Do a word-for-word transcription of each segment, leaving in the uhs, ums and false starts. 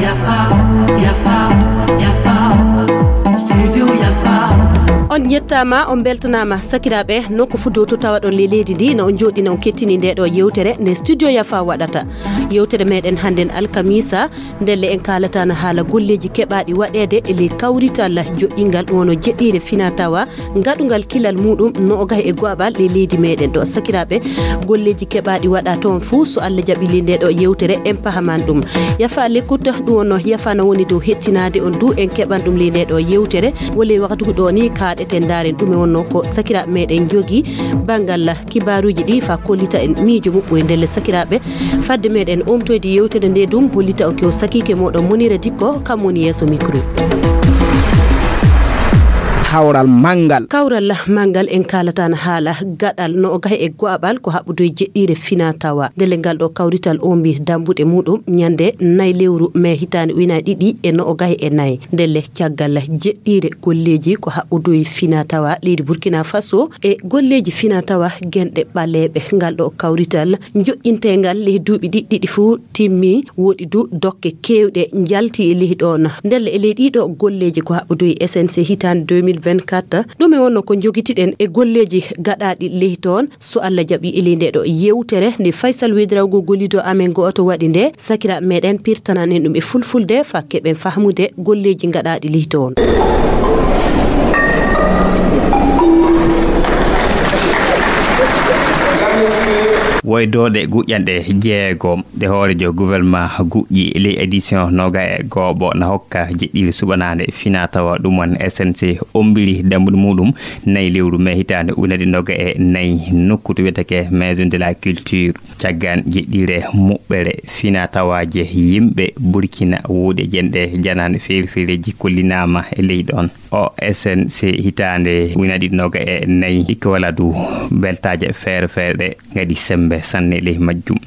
Yafa, yafa, yafa. Studio yafa. On njettaama, on mbeltanaama, sakiraaɓe, nokku fuu dow to tawaɗon ley leydi ndi, no on njooɗii, no on kettini nde ɗo yewtere nde Studio Yafa waɗata. Yewtere meɗen hannden alkamisa, ndelle en kaalataano haala golleeji keɓaaɗi waɗeede e ley kawrital joƴƴingal ɗum wonno jeɗɗiire finaa tawaa ngaɗungal kilal muuɗum noogaye e go'aɓal ley leydi meɗen ɗo. Sakiraaɓe, golleeji keɓaaɗi waɗaa toon fuu, so Allah jaɓii ley nde ɗo yewtere, en pahaman ɗum. Yafa l'écoute, ɗum wonno yafa na woni dow hettinaade on du, en keɓan ɗum ley nde ɗo yewtere. Wole waktu ɗo ni kaaɗeten ndaaren ɗume wonno ko sakiraaɓe meɗen njogii banngal kibaaruuji ɗi faa kollita en miijo muɓɓoy ndelle sakiraaɓe. Fadde meɗen omtoyde yewtere nde ɗum hollita on ko sakiike moɗon Monira Dikko, kam woni yeeso micro. Kawral manngal. Kawral manngal en kaalataano haala gaɗal noogaye e go'aɓal ko haɓɓudu e jeɗɗiire finaa tawaa. Ndelle ngal ɗo kawrital ombi dammbuɗe muuɗum ñande nay lewru mee hitaande ujunaaji ɗiɗi e noogaye e nay. Ndelle caggal jeɗɗiire golleeji ko haɓɓudu e finaa tawaa leydi Burkina Faso e golleeji finaa tawaa genɗe ɓaleeɓe. Ngal ɗo kawrital joƴƴinteengal ley duuɓi ɗiɗi ɗiɗi fuu timmi, woɗi du dokke keewɗe njalti e ley ɗoon. Ndelle e ley ɗii ɗo golleeji ko haɓɓudu e S N C hitaande deux mille vingt-quatre, ɗume wonno ko njogitiɗen e golleeji gaɗaaɗi ley toon? So Allah jaɓii e ley nde ɗo yewtere nde Faysal Wedrawgo gollido amen gooto waɗi nde, sakiraaɓe meɗen pirtanan en ɗum e fulfulde faa keɓen fahmude golleeji gaɗaaɗi ley toon. Woydooɗe guƴƴanɗe jeegom ɗe hooreejo gouvernement guƴƴi ley édition noogaye e gooɓo na hokka jeɗɗiire suɓanaande finaa tawaa ɗum won S N C ombiri dammbuɗe muuɗum nay lewru mee hitaande ujunaaji ɗiɗi noogaye e nay nokku to wiyetee Maison de la Culture. Caggal jeɗɗiire muɓɓere finaa tawaaje yimɓe Burkina wuuɗe jenɗe janaane feere feereeji kollinaama e ley ɗoon. O S N C hitaande ujunaaji ɗiɗi noogaye e nay ikka wala du beltaaje feere feere ɗe ngaɗi semmbe sanne ley majjum.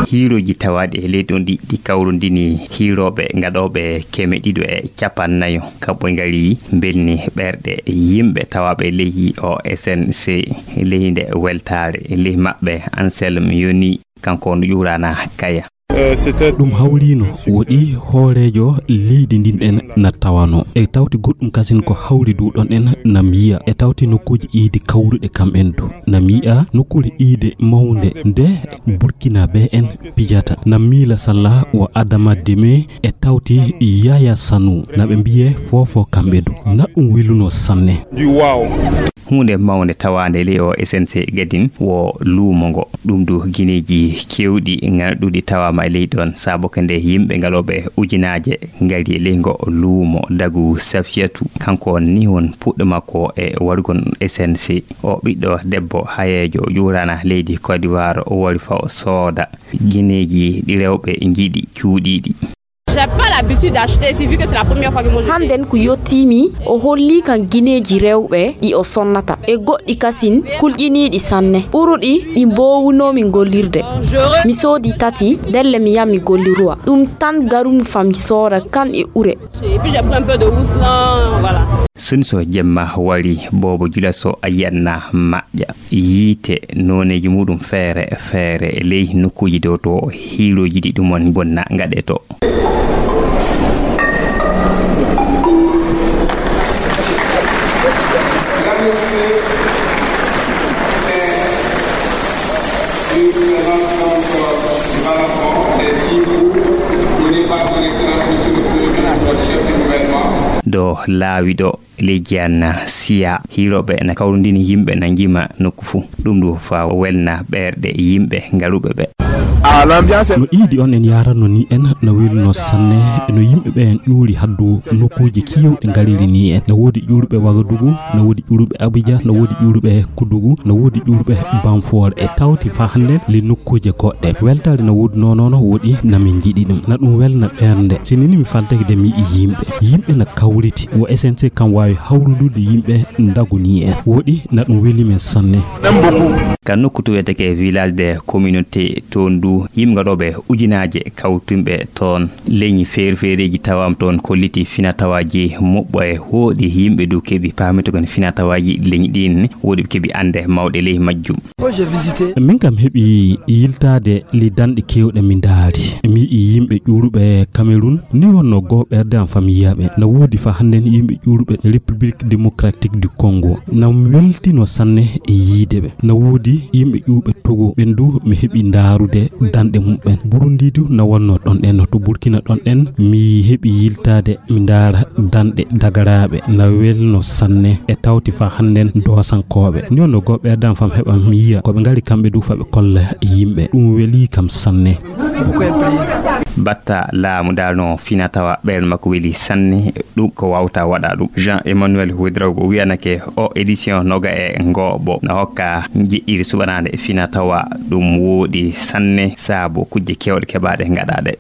Hiirooji tawaaɗi e leydi on ɗi, ɗi kawrondini hiirooɓe gaɗooɓe keme ɗiɗo e cappannayo. Kamɓe ngari mbelni ɓerɗe yimɓe tawaaɓe ley O S N C. Ley nde weltaare ley maɓɓe, Anselme Yoni, kanko no ƴuuraana Kaya. Ɗum hawriino woɗi hooreejo leydi ndin en na tawano. E tawti goɗɗum kasin ko hawri du ɗon en na miya. E tawti nokkuuji iidi kawruɗe kam en du. Na miya nokkuure iide mawnde nde Burkinabee en pijata. Na miila Salla wa Adama Deme e tawti Yaya Sanu. Na ɓe mbiye foofo kamɓe du. Na ɗum weluno sanne. Huunde mawnde tawaande e ley O S N C gadin wo luumo ngo. Ɗum du gineeji keewɗi ŋarɗuɗi tawaama e ley ɗon, sabu ko nde yimɓe ngalooɓe ujunaaje ngari e ley ngo luumo. Dagu Safiyatu, kanko ni won puɗɗo makko e warugol S N C. O ɓiɗɗo debbo hayeejo ƴuuraana leydi Côte d'Ivoire, o wari fa o sooda gineeji ɗi rewɓe njiɗi cuuɗiiɗi. J'ai pas l'habitude d'acheter ici, vu que c'est la première fois que moi je viens. Hannden ko yottiimi, o holli kan gineeji rewɓe ɗi o sonnata e goɗɗi kasin kulƴiniiɗi sanne, ɓuruɗi ɗi mboowunoomi gollirde. Mi soodi tati, ndelle mi yaha mi gollirowa. Ɗum tan garumi fa mi sooda kan e ure. Et puis j'ai pris un peu de housse là, voilà. Sun so jemma wari, boobo jula so a yi'atna maƴƴa. Yiite nooneeji muuɗum feere feere ley nokkuuji dow to hiirooji ɗi ɗum woni bonna ngaɗee to. Ɗo laawi ɗo. Ley Jiyaan Siya, hiirooɓe na kawrondini yimɓe na njima nokku fuu. Ɗum ɗo faa welna ɓerɗe yimɓe ngaruɓe ɓe. No iidi on en yaranno ni en na welno sanne, no yimɓe ɓe en ƴuuri haddu nokkuuji kewɗi ngariri ni en. Na woodi ƴuuruɓe Wagadugu, na woodi ƴuuruɓe Abuja, na woodi ƴuuruɓe Kudugu, na woodi ƴuuruɓe Bamfoore. E tawti faa hannde le nokkuuje goɗɗe. Weltaare na woodi noon, noon woodi na min njiɗi ɗum. Na ɗum welna ɓernde. Si nini mi faltake de mi yi'i yimɓe. Yimɓe na kawriti. Wo S N C kam waawi hawrudude yimɓe ndagu ni en. Woodi na ɗum weli men sanne. Ka nokku to wiyetee village de communauté, toon du Yimɓe gaɗooɓe ujunaaje kawtunɓe toon leñi feere-feereeji tawaama toon, kolliti finaa-tawaaji moƴƴi e hooɗi. Yimɓe du keɓi paamitugol finaa-tawaaji leñi ɗiin, wooɗi ɓe keɓi annde mawɗe ley majjum. Min kam heɓi yiltaade ley danɗe keewɗe mi ndaari. Mi yi'i yimɓe ƴuuruɓe Cameroun, ni wonno goo ɓerɗe am famiyaa ɓe. Na woodi faa hannden yimɓe ƴuuruɓe République Démocratique du Congo. Na mi weltino sanne e yiide ɓe. Na woodi yimɓe ƴuuɓe Togo, ɓen du mi heɓi ndaarude danɗe muɓɓen. Burundi du na wonno ɗon ɗen, to Burkina ɗon ɗen, mi heɓi yiltaade, mi ndaara danɗe dagaraaɓe. Na welno sanne e tawti faa hannden doosankooɓe. Ni wonno goo ɓerɗe am faa mi heɓa mi yi'a ko ɓe ngari kamɓe du faa ɓe kolla yimɓe. Ɗum welii kam sanne. Batta laamu daalno finaa-tawaa ɓernde makko weli sanne, ɗum ko waawta waɗa ɗum. Jean Emmanuel Ouédraogo wiyanake o édition noga e ngooɓo na hokka njeɗɗiri suɓanaande finaa-tawaa, ɗum wooɗi sanne saabu kujje keewɗe keɓaaɗe ngaɗaaɗe.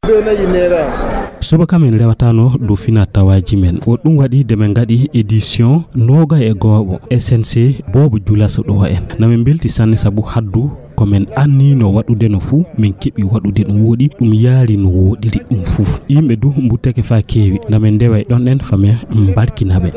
Subaka men rewataano dow finaa-tawaaji men. Ko ɗum waɗi de men ngaɗi édition noga e gooɓo S N C Boobo Julaso ɗo en. Na men mbelti sanne sabu haddu ko men anniyno waɗude no fuu, men keɓi waɗude ɗum wooɗi, ɗum yaari no wooɗiri ɗum fuu. Yimɓe du mbuttake faa keewi, na men ndewa e ɗon ɗen faa men mbarkina ɓe.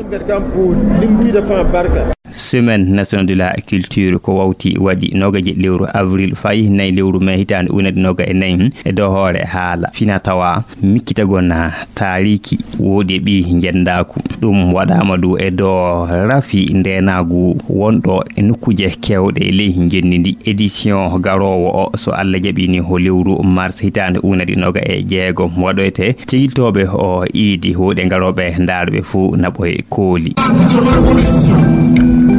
Semaine nationale de la culture ko wawti waɗi noogaji lewru avril faa nayi lewru mai hitaande ujunere ɗiɗi e noga e nayi e dow hoore haala finaa-tawaa, miccitagol taariki wooɗi e ɓii njenndaaku. Ɗum waɗaama du e dow rafi ndeenaagu wonɗo e nokkuuje keewɗe e ley ngenndi ndi. Édition garoowo o, so Alla jaɓi ni, ko lewru mars hitaande ujunere ɗiɗi e noga e jeegom waɗoyte. Cegiltooɓe o iidi wooɗi e garooɓe ndaaruɓe fuu na ɓooye kooli.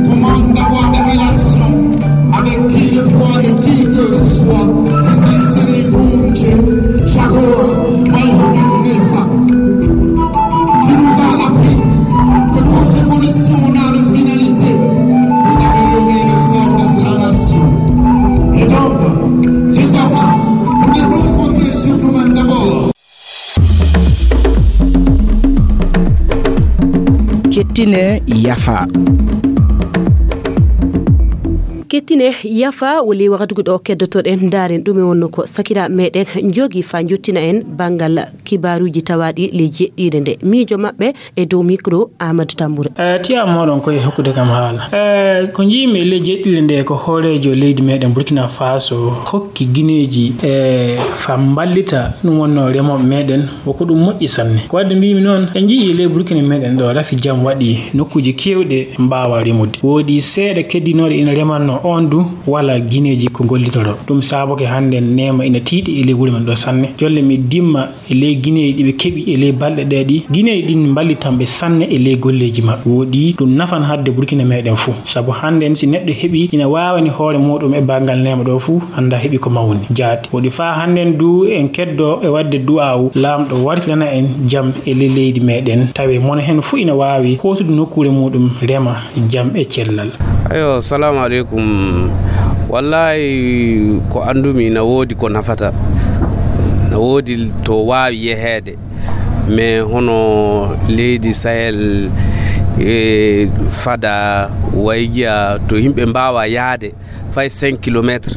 Comment avoir des relations avec qui de droit et qui que ce soit, His Excellency Bunche Jagoa Mayhoganesa, qui nous a appris que toute révolution n'a de finalité que d'améliorer le sort de sa nation. Et donc, désormais, nous devrons compter sur nous-mêmes d'abord. Kettine yafa. Kettine yafa, woni wakatuuji ɗo keddotoɗen, ndaaren ɗume wonno ko sakiraaɓe meɗen njogi faa njottina en banngal kibaaruuji tawaaɗi ley jeɗɗiire nde. Miijo maɓɓe e dow mikro, Amadou Tambura. Eh, tiyam moɗon koye hokkude kam haala. Eh, ko njiimi e ley jeɗɗiire nde ko hooreejo leydi meɗen Burkina Faso hokki gineeji, eh, faa mballita ɗum wonno remooɓe meɗen, ko ɗum moƴƴi sanne. Ko wadde mbiimi noon, en njiyii ley Burkina meɗen ɗo rafi jam waɗi nokkuuji keewɗe mbaawa remude. Woodi seeɗa keddinooɗe ina remanno, oon du walaa gineeji ko ngollitoro. Ɗum saabake hannden neema ina tiiɗi e ley wuro men ɗo sanne. Jolle mi dimma e ley gineeji ɗi ɓe keɓi e ley balɗe ɗe ɗi. Gineeji ɗin mballitan ɓe sanne e ley golleeji maɓɓe. Woodi ɗum nafan hadde Burkina meɗen fuu. Sabu hannden si neɗɗo heɓi ina waawani hoore muuɗum e banngal neema ɗo fuu, annda heɓi ko mawni. Jaati. Woodi faa hannden du en keddo e waɗde du'aawu Laamɗo wartirana en jam e ley leydi meɗen. Tawi mono heen fuu ina waawi hootude nokkuure muuɗum rema jam e cellal. Ayo, salamu aleykum. Wallahi ko anndumi na woodi ko nafata. Na woodi to waawi yeheede. Mais hono leydi Sahel, e fada waygiya to yimɓe mbaawa yahde fay cinq kilomètres.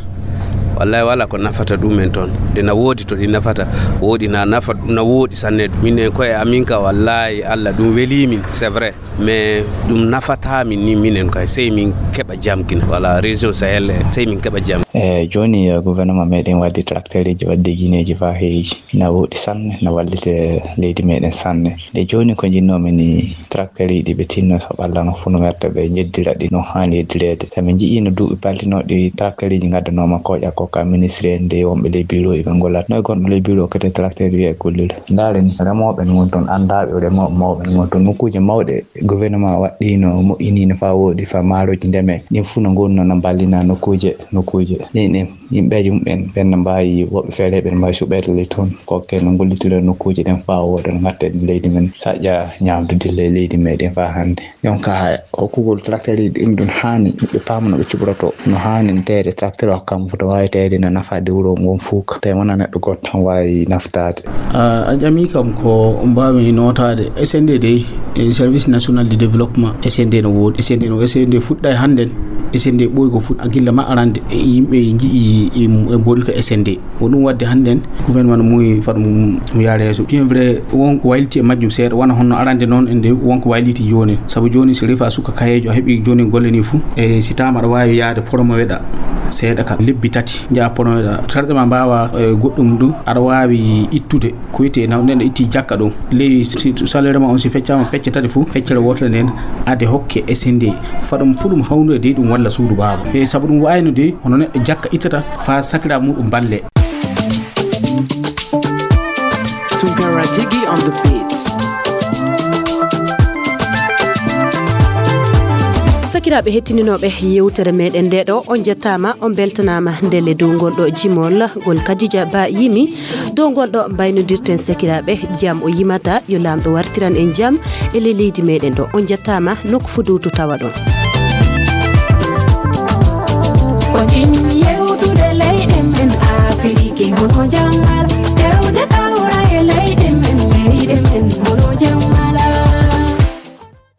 Wallahi wala ko nafata ɗumen toon. Nde na woodi to ɗi nafata, woodi na nafa, na woodi sanne. Minen koye amin ka wallahi Allah ɗum weli min, c'est vrai. Mais ɗum nafataa min ni minen kay, sey min keɓa jam kina. Voilà, région Sahel, sey min keɓa jam. E jooni, eh, gouvernement meɗen waddi tracteureji, waddi gineeji faa heewi. Na woodi sanne, na wallite leydi meɗen sanne. Nde jooni ko njinnoomi ni, tracteureji ɗi ɓe tinno so ɓallano fuu no werta ɓe njeddira ɗi no haani yeddireede. So min nji'ii no duuɓi paltinooɗi tracteureji ngaddanooma kooƴa ko ka ministre en de wonɓe ley bureau ɓe ngollata. No e gonɗo ley bureau kadi tracteur wiya e gollira. Ndaare ni, remooɓe ne woni toon, anndaaɓe remooɓe mawɓe ne woni toon. Nokkuuje mawɗe gouvernement waɗɗiino, moƴƴiniino faa wooɗi, faa maaroji ndeme. Ɗin fuu no ngonnoo no mballina nokkuuje, nokkuuje. Ɗin, ɗin yimɓeeji mumen ɓen no mbaawi, woɓɓe feere ɓe no mbaawi suɓeede ley toon. Ko ken no ngollitira nokkuuje ɗen faa wooɗa no ngatten leydi men saƴƴa ñaamdude ley leydi meɗen faa hannde. Jonka hokkugol tracteureji ɗin ɗum haani ɓe paama no ɓe cuɓorotoo. No haani no tawde tracteur o kam foto waawi tawde no nafaade wuro ngon fuu ka. Tawi wonaa neɗɗo gooto tan waawi naftaade. A, a ƴami kam ko mbaawmi nootaade. S N D dey, e Service National de Développement, S N D no woodi. S N D no, S N D fuɗɗa e hannden. S N D ɓooyi ko fuɗ a gilla ma arande e yimɓe nji'i e mboɗi ko S N D. Ko ɗum waɗde hannden gouvernement no muuyi fat mo yaare yeeso. Bien vrai, won ko wayliti e majjum seeɗa, wona honno arande noon e nde won ko wayliti jooni. Sabu jooni, si rewi a suka kayeejo, a heɓi jooni golle ni fuu, e si taama aɗa waawi yaade promoweɗa seeɗa ka lebbi tati, njaha promoweɗa. Sarɗe ma mbaawa, e, goɗɗum ɗum, aɗa waawi ittude ko wiyetee naw-, nden itti jakka ɗum. Ley si salaire ma on si feccaama pecce tati fuu, feccere wootere nden ade hokke S N D. Faɗum fuɗum hawnude dey ɗum walla suudu baaba. E sabu ɗum waayno dey, hono neɗɗo jakka ittata faa sakira muɗum balle. Tunkara Jiggy on the beats. Sakiraaɓe hettininooɓe yewtere meɗen nde ɗo, on jettaama, on beltanaama ndelle dow ngol ɗo jimol ngol Kadija Ba yimi. Dow ngol ɗo mbaynodirten sakiraaɓe, jam o yimata, yo Laamɗo wartiran en jam e ley leydi meɗen ɗo. On jettaama, nokku fuu dow to tawaɗon. Ko jimmi yewtude leyɗe men Afiriki, hono janngal, tewde kawra e leyɗe men, leyɗe men.